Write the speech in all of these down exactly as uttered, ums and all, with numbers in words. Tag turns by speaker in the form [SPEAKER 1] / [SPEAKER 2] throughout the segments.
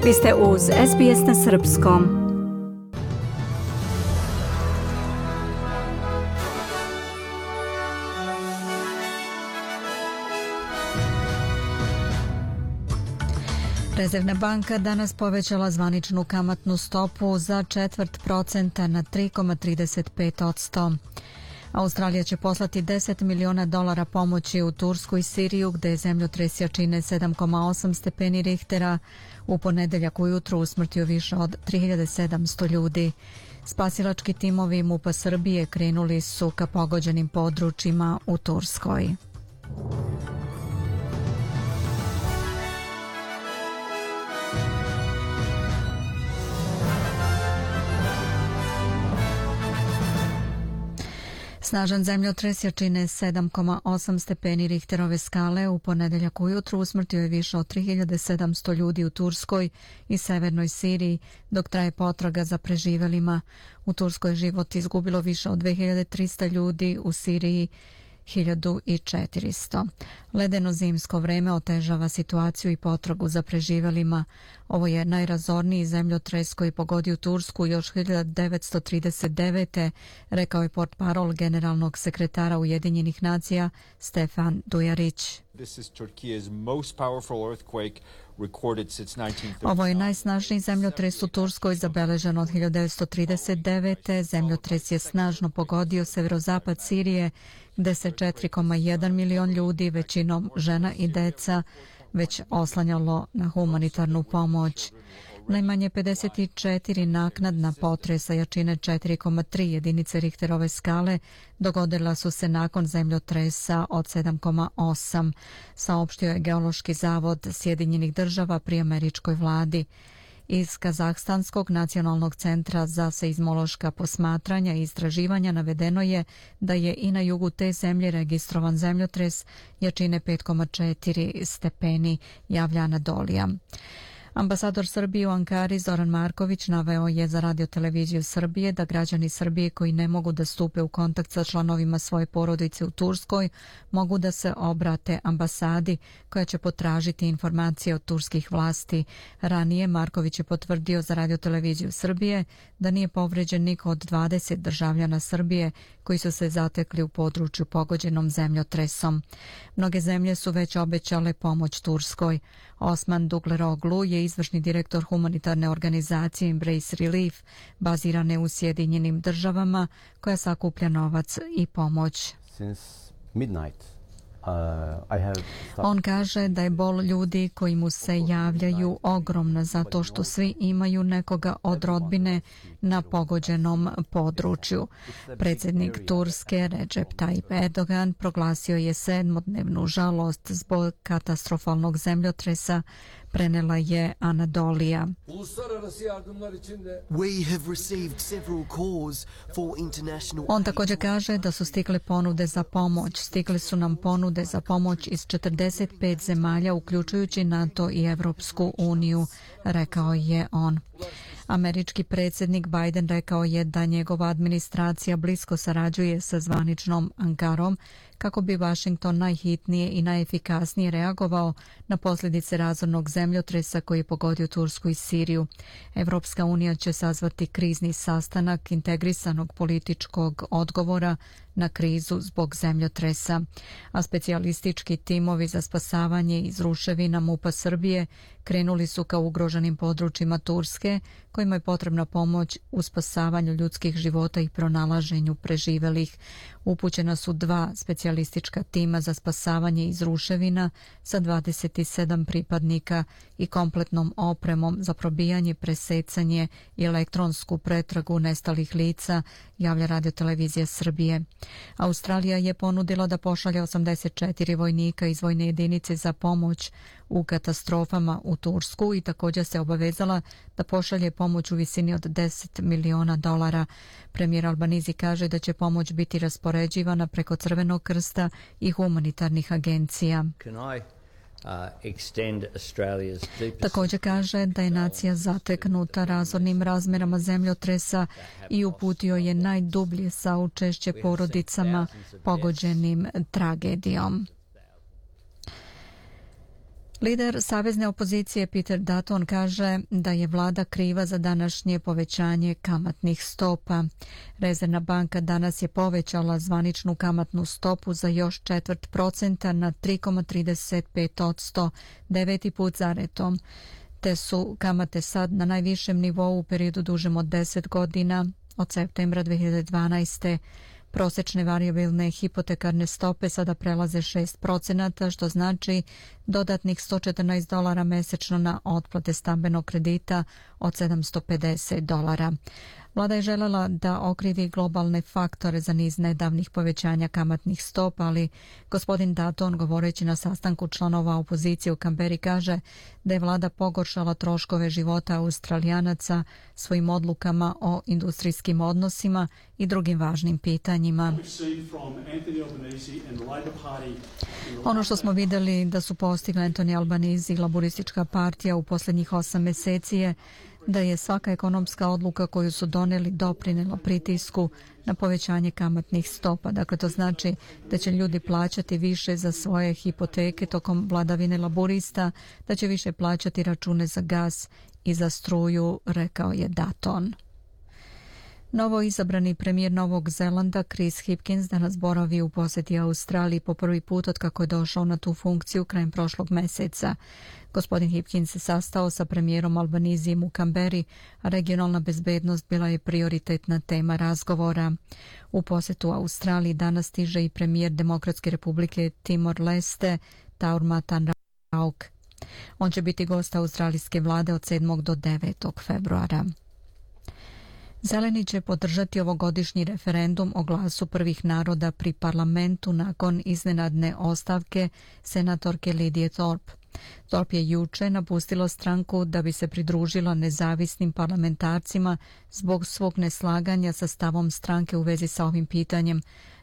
[SPEAKER 1] Vi ste uz S B S na srpskom. Rezervna banka danas povećala zvaničnu kamatnu stopu za četvrt procenta na tri zarez trideset pet posto. Australija će poslati deset miliona dolara pomoći u Tursku i Siriju, gde zemljotres jačine sedam zarez osam stepeni Richtera u ponedeljak ujutru usmrtio više od tri hiljade sedamsto ljudi. Spasilački timovi MUP-a Srbije krenuli su ka pogođenim područjima u Turskoj. Snažan zemljotres jačine sedam zarez osam stepeni Richterove skale u ponedeljak ujutru usmrtio je više od tri hiljade sedamsto ljudi u Turskoj i severnoj Siriji, dok traje potraga za preživelima. U Turskoj je život izgubilo više od dve hiljade trista ljudi, u Siriji hiljadu četiristo. Ledeno zimsko vreme otežava situaciju i potragu za preživelima. Ovo je najrazorniji zemljotres koji pogodio Tursku još hiljadu devetsto trideset devete. rekao je portparol generalnog sekretara Ujedinjenih nacija Stefan Dujarić. Ovo je najsnažniji zemljotres u Turskoj zabeležen od hiljadu devetsto trideset devete. Zemljotres je snažno pogodio severozapad Sirije, gde se četiri zarez jedan milion ljudi, većinom žena i deca, već oslanjalo na humanitarnu pomoć. Najmanje pedeset četiri naknadna potresa jačine četiri zarez tri jedinice Richterove skale dogodila su se nakon zemljotresa od sedam zarez osam, saopštio je Geološki zavod Sjedinjenih država pri američkoj vladi. Iz Kazahstanskog nacionalnog centra za seizmološka posmatranja i istraživanja navedeno je da je i na jugu te zemlje registrovan zemljotres jačine pet zarez četiri stepeni, javlja Anadolija. Ambasador Srbije u Ankari Zoran Marković naveo je za radioteleviziju Srbije da građani Srbije koji ne mogu da stupe u kontakt sa članovima svoje porodice u Turskoj mogu da se obrate ambasadi koja će potražiti informacije od turskih vlasti. Ranije Marković je potvrdio za radioteleviziju Srbije da nije povređen niko od dvadeset državljana Srbije koji su se zatekli u području pogođenom zemljotresom. Mnoge zemlje su već obećale pomoć Turskoj. Osman Dugleroglu je izvršni direktor humanitarne organizacije Embrace Relief, bazirane u Sjedinjenim državama, koja sakuplja novac i pomoć. On kaže da je bol ljudi koji mu se javljaju ogromna zato što svi imaju nekoga od rodbine na pogođenom području. Predsjednik Turske Recep Tayyip Erdogan proglasio je sedmodnevnu žalost zbog katastrofalnog zemljotresa, prenela je Anadolija. On također kaže da su stigle ponude za pomoć. Stigle su nam ponude za pomoć iz četrdeset pet zemalja, uključujući NATO i Evropsku uniju, rekao je on. Američki predsjednik Biden rekao je da njegova administracija blisko sarađuje sa zvaničnom Ankarom kako bi Washington najhitnije i najefikasnije reagovao na posljedice razornog zemljotresa koji je pogodio Tursku i Siriju. Evropska unija će sazvati krizni sastanak integrisanog političkog odgovora na krizu zbog zemljotresa, a specijalistički timovi za spasavanje iz ruševina MUP-a Srbije krenuli su ka ugroženim područjima Turske, kojima je potrebna pomoć u spasavanju ljudskih života i pronalaženju preživelih. Upućena su dva specijalistička tima za spasavanje iz ruševina sa dvadeset sedam pripadnika i kompletnom opremom za probijanje, presecanje i elektronsku pretragu nestalih lica, javlja radiotelevizija Srbije. Australija je ponudila da pošalje osamdeset četiri vojnika iz vojne jedinice za pomoć u katastrofama u Tursku i također se obavezala da pošalje pomoć u visini od deset miliona dolara. Premijer Albanizi kaže da će pomoć biti raspoređivana preko Crvenog krsta i humanitarnih agencija. Također kaže da je nacija zateknuta razornim razmerama zemljotresa i uputio je najdublje saučešće porodicama pogođenim tragedijom. Lider savezne opozicije Peter Dutton kaže da je vlada kriva za današnje povećanje kamatnih stopa. Rezervna banka danas je povećala zvaničnu kamatnu stopu za još četvrt procenta na tri zarez trideset pet posto, deveti put za redom. Te su kamate sad na najvišem nivou u periodu dužem od deset godina, od septembra dve hiljade dvanaeste. Prosečne varijabilne hipotekarne stope sada prelaze šest procenata, što znači dodatnih sto četrnaest dolara mesečno na otplate stambenog kredita od sedamsto pedeset dolara. Vlada je želela da okrivi globalne faktore za niz nedavnih povećanja kamatnih stopa, ali gospodin Dutton, govoreći na sastanku članova opozicije u Kamberi, kaže da je vlada pogoršala troškove života Australijanaca svojim odlukama o industrijskim odnosima i drugim važnim pitanjima. Ono što smo vidjeli da su postigli Anthony Albanese i Laburistička partija u posljednjih osam mjeseci je da je svaka ekonomska odluka koju su donijeli doprinijela pritisku na povećanje kamatnih stopa. Dakle, to znači da će ljudi plaćati više za svoje hipoteke tokom vladavine laburista, da će više plaćati račune za gas i za struju, rekao je Dutton. Novo izabrani premijer Novog Zelanda Chris Hipkins danas boravi u posjeti Australiji po prvi put od kako je došao na tu funkciju krajem prošlog mjeseca. Gospodin Hipkins se sastao sa premijerom Albanezijem u Kamberi, a regionalna bezbednost bila je prioritetna tema razgovora. U posjetu Australiji danas stiže i premijer Demokratske republike Timor-Leste Taur Matan Rauk. On će biti gost australijske vlade od sedmog do devetog februara. Zeleni će podržati ovogodišnji referendum o glasu prvih naroda pri parlamentu nakon iznenadne ostavke senatorke Lidije Thorpe. Thorpe je juče napustila stranku da bi se pridružila nezavisnim parlamentarcima zbog svog neslaganja sa stavom stranke u vezi sa ovim pitanjem.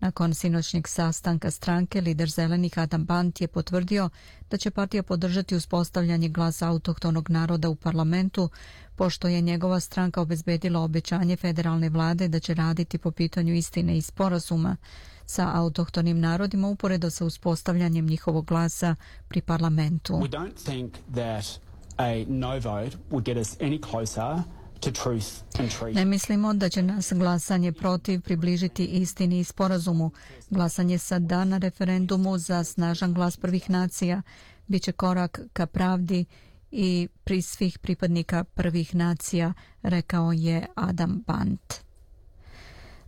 [SPEAKER 1] Nakon sinoćnjeg sastanka stranke, lider Zelenih Adam Bant je potvrdio da će partija podržati uspostavljanje glasa autohtonog naroda u parlamentu, pošto je njegova stranka obezbedila obećanje federalne vlade da će raditi po pitanju istine i sporazuma sa autohtonim narodima uporedo sa uspostavljanjem njihovog glasa pri parlamentu.
[SPEAKER 2] We don't think that a no vote would get us any closer to truth and treaty.
[SPEAKER 1] Ne mislimo da će nas glasanje protiv približiti istini i sporazumu. Glasanje sa da na referendumu za snažan glas prvih nacija biće korak ka pravdi i pri svih pripadnika prvih nacija, rekao je Adam Bant.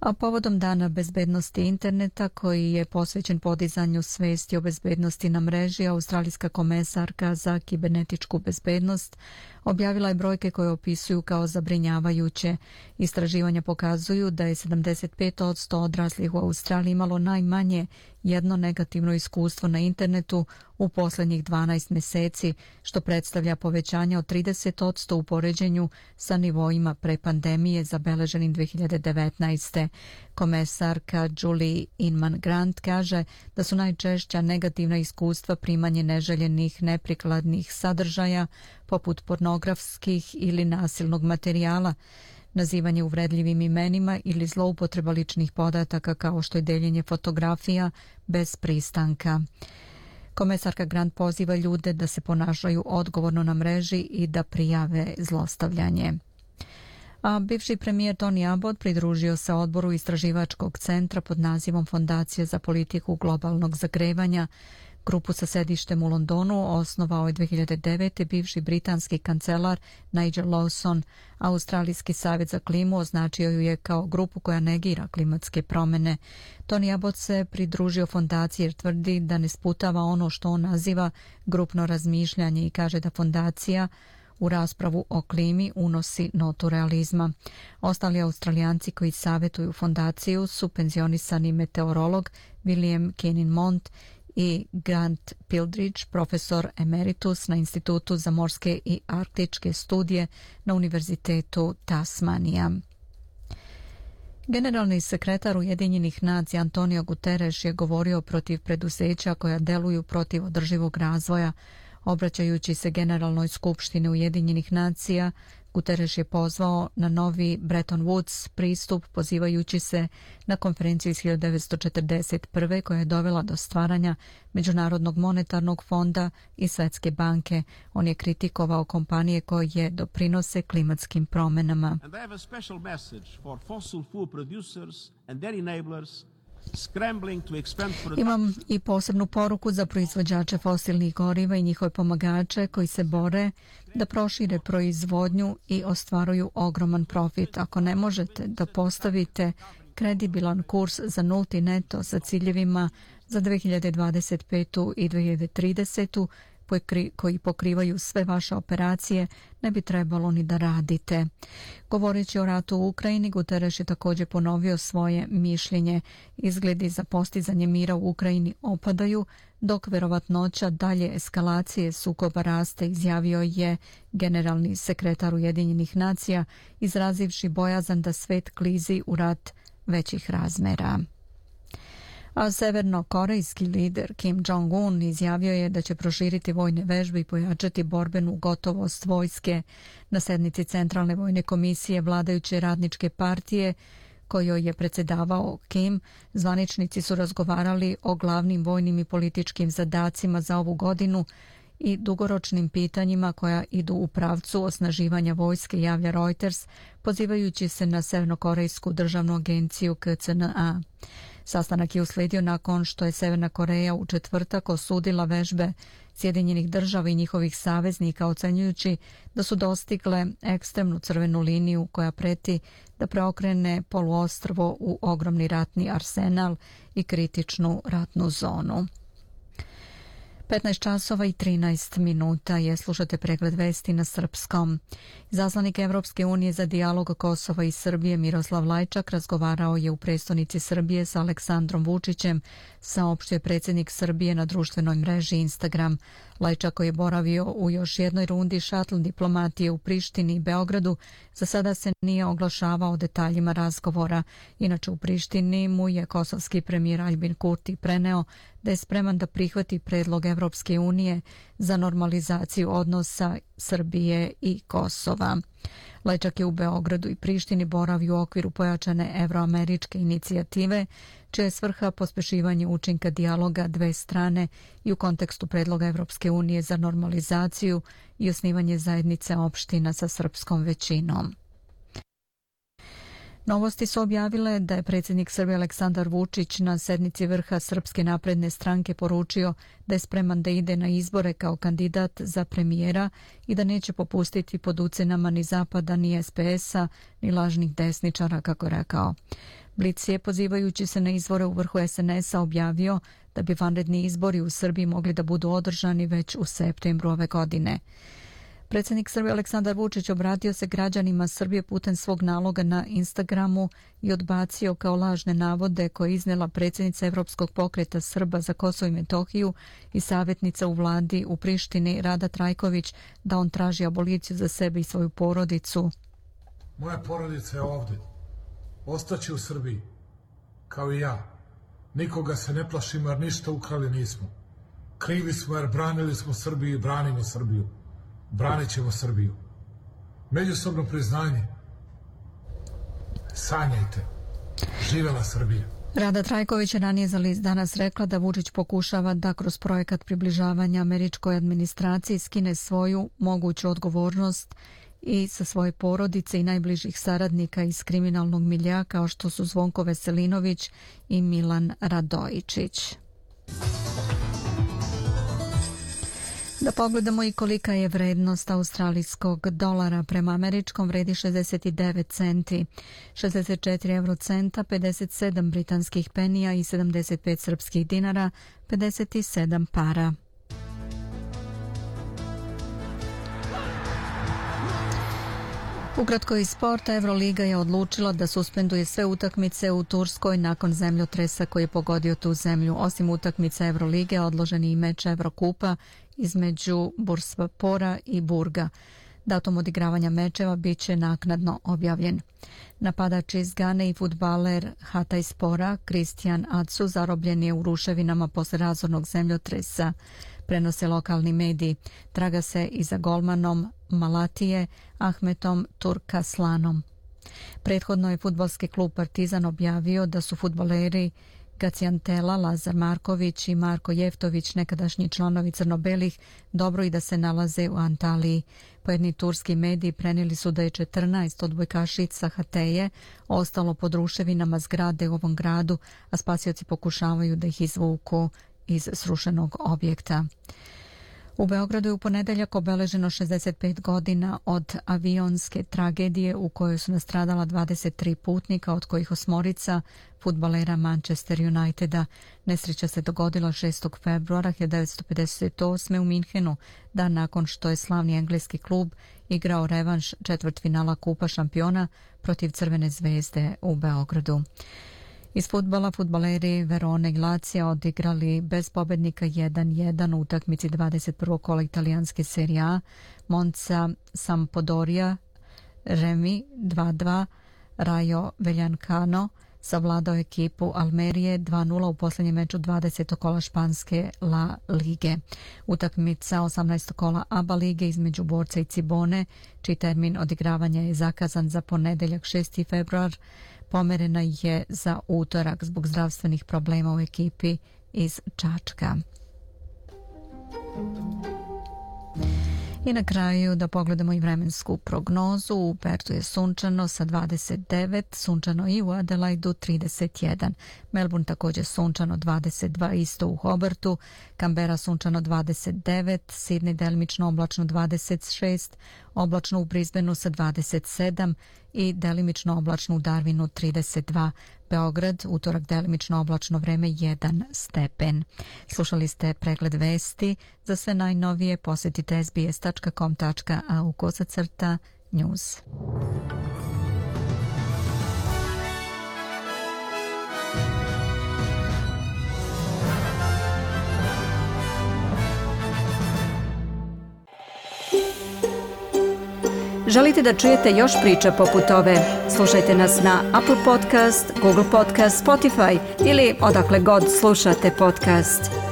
[SPEAKER 1] A povodom Dana bezbednosti interneta, koji je posvećen podizanju svesti o bezbednosti na mreži, australijska komesarka za kibernetičku bezbednost objavila je brojke koje opisuju kao zabrinjavajuće. Istraživanja pokazuju da je sedamdeset pet posto odraslih u Australiji imalo najmanje jedno negativno iskustvo na internetu u posljednjih dvanaest mjeseci, što predstavlja povećanje od trideset posto u poređenju sa nivoima pre pandemije zabeleženim dve hiljade devetnaeste. Komesarka Julie Inman-Grant kaže da su najčešća negativna iskustva primanje neželjenih, neprikladnih sadržaja poput pornografskih ili nasilnog materijala, nazivanje uvredljivim imenima ili zloupotreba ličnih podataka kao što je deljenje fotografija bez pristanka. Komesarka Grant poziva ljude da se ponašaju odgovorno na mreži i da prijave zlostavljanje. A bivši premijer Tony Abbott pridružio se odboru istraživačkog centra pod nazivom Fondacije za politiku globalnog zagrevanja. Grupu sa sedištem u Londonu osnovao je dve hiljade devete. bivši britanski kancelar Nigel Lawson. Australijski savjet za klimu označio ju je kao grupu koja negira klimatske promjene. Tony Abbott se pridružio fondaciji jer tvrdi da ne sputava ono što on naziva grupno razmišljanje i kaže da fondacija u raspravu o klimi unosi notu realizma. Ostali Australijanci koji savjetuju fondaciju su penzionisani meteorolog William Kennin-Mont i Grant Pildridge, profesor emeritus na Institutu za morske i arktičke studije na Univerzitetu Tasmanija. Generalni sekretar Ujedinjenih nacija Antonio Guterres je govorio protiv preduzeća koja deluju protiv održivog razvoja. Obraćajući se Generalnoj skupštini Ujedinjenih nacija, Guterres je pozvao na novi Bretton Woods pristup, pozivajući se na konferenciju iz hiljadu devetsto četrdeset prve koja je dovela do stvaranja Međunarodnog monetarnog fonda i Svetske banke. On je kritikovao kompanije koje doprinose klimatskim promjenama. Imam i posebnu poruku za proizvođače fosilnih goriva i njihove pomagače koji se bore da prošire proizvodnju i ostvaruju ogroman profit. Ako ne možete da postavite kredibilan kurs za nulti neto sa ciljevima za dve hiljade dvadeset petu i dve hiljade tridesetu koji pokrivaju sve vaše operacije, ne bi trebalo ni da radite. Govoreći o ratu u Ukrajini, Guterres je također ponovio svoje mišljenje. Izgledi za postizanje mira u Ukrajini opadaju, dok verovatnoća dalje eskalacije sukoba raste, izjavio je generalni sekretar Ujedinjenih nacija, izrazivši bojazan da svet klizi u rat većih razmera. A severnokorejski lider Kim Jong-un izjavio je da će proširiti vojne vežbe i pojačati borbenu gotovost vojske. Na sednici Centralne vojne komisije vladajuće radničke partije, kojoj je predsjedavao Kim, zvaničnici su razgovarali o glavnim vojnim i političkim zadacima za ovu godinu i dugoročnim pitanjima koja idu u pravcu osnaživanja vojske, javlja Reuters, pozivajući se na Severnokorejsku državnu agenciju K C N A. Sastanak je usledio nakon što je Severna Koreja u četvrtak osudila vežbe Sjedinjenih država i njihovih saveznika, ocenjujući da su dostigle ekstremnu crvenu liniju koja preti da preokrene poluostrvo u ogromni ratni arsenal i kritičnu ratnu zonu. petnaest časova i trinaest minuta je, slušate pregled vesti na srpskom. Zaslanik Evropske unije za dijalog Kosova i Srbije Miroslav Lajčak razgovarao je u prestonici Srbije sa Aleksandrom Vučićem, saopštio je predsjednik Srbije na društvenoj mreži Instagram. Lajčak, koji je boravio u još jednoj rundi šatl diplomatije u Prištini i Beogradu, za sada se nije oglašavao o detaljima razgovora. Inače, u Prištini mu je kosovski premijer Aljbin Kurti preneo da je spreman da prihvati predlog Evropske unije za normalizaciju odnosa Srbije i Kosova. Lajčak je u Beogradu i Prištini boravio u okviru pojačane evroameričke inicijative, čija je svrha pospešivanje učinka dijaloga dve strane i u kontekstu predloga Evropske unije za normalizaciju i osnivanje zajednice opština sa srpskom većinom. Novosti su objavile da je predsjednik Srbije Aleksandar Vučić na sednici vrha Srpske napredne stranke poručio da je spreman da ide na izbore kao kandidat za premijera i da neće popustiti pod ucenama ni Zapada, ni S P S-a, ni lažnih desničara, kako rekao. Blic je, pozivajući se na izbore u vrhu S N S-a, objavio da bi vanredni izbori u Srbiji mogli da budu održani već u septembru ove godine. Predsjednik Srbije Aleksandar Vučić obratio se građanima Srbije putem svog naloga na Instagramu i odbacio kao lažne navode koje je iznela predsjednica Evropskog pokreta Srba za Kosovo i Metohiju i savjetnica u vladi u Prištini Rada Trajković da on traži aboliciju za sebe i svoju porodicu.
[SPEAKER 3] Moja porodica je ovdje. Ostaće u Srbiji, kao i ja. Nikoga se ne plašimo jer ništa ukrali nismo. Krivi smo jer branili smo Srbiju i branimo Srbiju. Branit ćemo Srbiju. Međusobno priznanje. Sanjajte. Živela Srbija.
[SPEAKER 1] Rada Trajković je ranije za list Danas rekla da Vučić pokušava da kroz projekat približavanja američkoj administraciji skine svoju moguću odgovornost i sa svoje porodice i najbližih saradnika iz kriminalnog miljea kao što su Zvonko Veselinović i Milan Radojičić. Da pogledamo i kolika je vrednost australijskog dolara. Prema američkom vredi šezdeset devet centi, šezdeset četiri eurocenta, pedeset sedam britanskih penija i sedamdeset pet srpskih dinara, pedeset sedam para. Ukratko iz sporta, Euroliga je odlučila da suspenduje sve utakmice u Turskoj nakon zemljotresa koji je pogodio tu zemlju. Osim utakmice Eurolige, odložen je i meč Evrokupa između Bursaspora i Burga. Datum odigravanja mečeva bit će naknadno objavljen. Napadač iz Gane i fudbaler Hatayspora Kristijan Atsu zarobljen je u ruševinama posle razornog zemljotresa. prenose lokalni mediji. Traga se i za golmanom Malatije Ahmetom Turkaslanom. Prethodno je fudbalski klub Partizan objavio da su fudbaleri Gacijantela, Lazar Marković i Marko Jeftović, nekadašnji članovi crno-belih, dobro i da se nalaze u Antaliji. Pojedini turski mediji prenijeli su da je četrnaest odbojkašica Hateje ostalo pod ruševinama zgrade u ovom gradu, a spasioci pokušavaju da ih izvuku iz srušenog objekta. U Beogradu je u ponedeljak obeleženo šezdeset pet godina od avionske tragedije u kojoj su nastradala dvadeset tri putnika, od kojih osmorica fudbalera Manchester Uniteda. Nesreća se dogodila šestog februara hiljadu devetsto pedeset osme. u Minhenu, dan nakon što je slavni engleski klub igrao revanš četvrtfinala Kupa šampiona protiv Crvene zvezde u Beogradu. Iz fudbala fudbaleri Verone i Lazija odigrali bez pobednika jedan jedan u utakmici dvadeset prvog kola italijanske Serie A. Monza Sampdoria remi dva dva. Rayo Vallecano savladao ekipu Almerije dva nula u posljednjem meču dvadesetog kola španske La Lige. Utakmica osamnaestog kola A B A lige između Borca i Cibone, čiji termin odigravanja je zakazan za ponedeljak šesti februar, pomerena je za utorak zbog zdravstvenih problema u ekipi iz Čačka. I na kraju da pogledamo i vremensku prognozu. U Pertu je sunčano sa dvadeset devet, sunčano i u Adelaidu trideset jedan. Melbourne također sunčano dvadeset dva, isto u Hobartu. Canberra sunčano dvadeset devet, Sydney delimično oblačno dvadeset šest, oblačno u Brisbaneu sa dvadeset sedam i delimično oblačno u Darwinu trideset dva. Beograd, utorak delimično oblačno vreme jedan stepen. Slušali ste pregled vesti. Za sve najnovije posjetite es be es tačka com tačka a u kosacrta news.
[SPEAKER 4] Želite da čujete još priča poput ove? Slušajte nas na Apple Podcast, Google Podcast, Spotify ili odakle god slušate podcast.